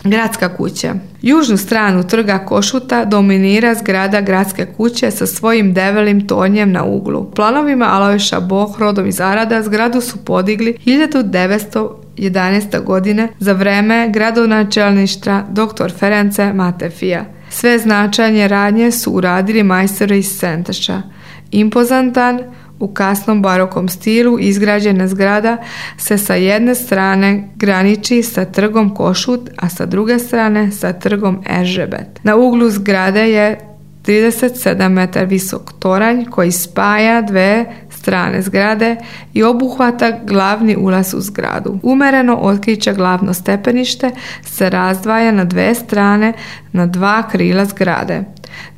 Gradska kuća. Južnu stranu trga Košuta dominira zgrada Gradske kuće sa svojim debelim tornjem na uglu. U planovima Alojša Boh, rodom iz Arada, zgradu su podigli 1911. godine za vreme gradonačelništva dr. Ference Matefija. Sve značajne radnje su uradili majstori iz Senteša. Impozantan, u kasnom barokom stilu izgrađena zgrada se sa jedne strane graniči sa trgom Košut, a sa druge strane sa trgom Eržebet. Na uglu zgrade je 37 metara visok toranj koji spaja dve strane zgrade i obuhvata glavni ulaz u zgradu. Umereno otkriće glavno stepenište se razdvaja na dve strane na dva krila zgrade.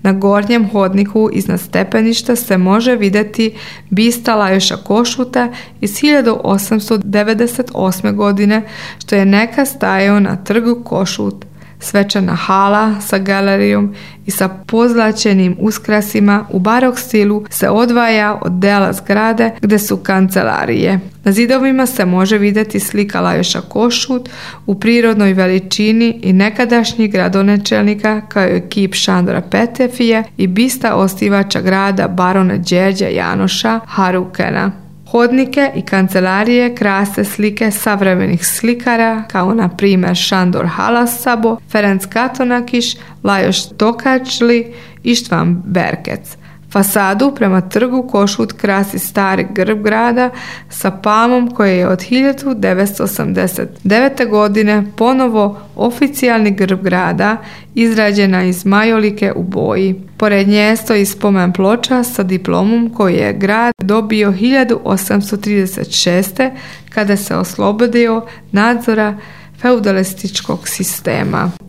Na gornjem hodniku iznad stepeništa se može vidjeti bista Lajoša Košuta iz 1898. godine, što je nekad stajao na trgu Košut. Svečana hala sa galerijom i sa pozlaćenim uskrasima u barok stilu se odvaja od dela zgrade gdje su kancelarije. Na zidovima se može vidjeti slika Lajoša Košut u prirodnoj veličini i nekadašnjih gradonačelnika kao i kip Šandora Petefije i bista osnivača grada barona Đerđa Janoša Harukena. Hodnike i kancelarije krase slike savremenih slikara kao na primjer Šandor Halasabo, Ferenc Katonakiš, Lajoš Tokačli i Štvan Berkec. Fasadu prema trgu Košut krasi stari grb grada sa palmom koji je od 1989. godine ponovo oficijalni grb grada, izrađena iz majolike u boji. Pored nje stoji spomen ploča sa diplomom koju je grad dobio 1836. kada se oslobodio nadzora feudalističkog sistema.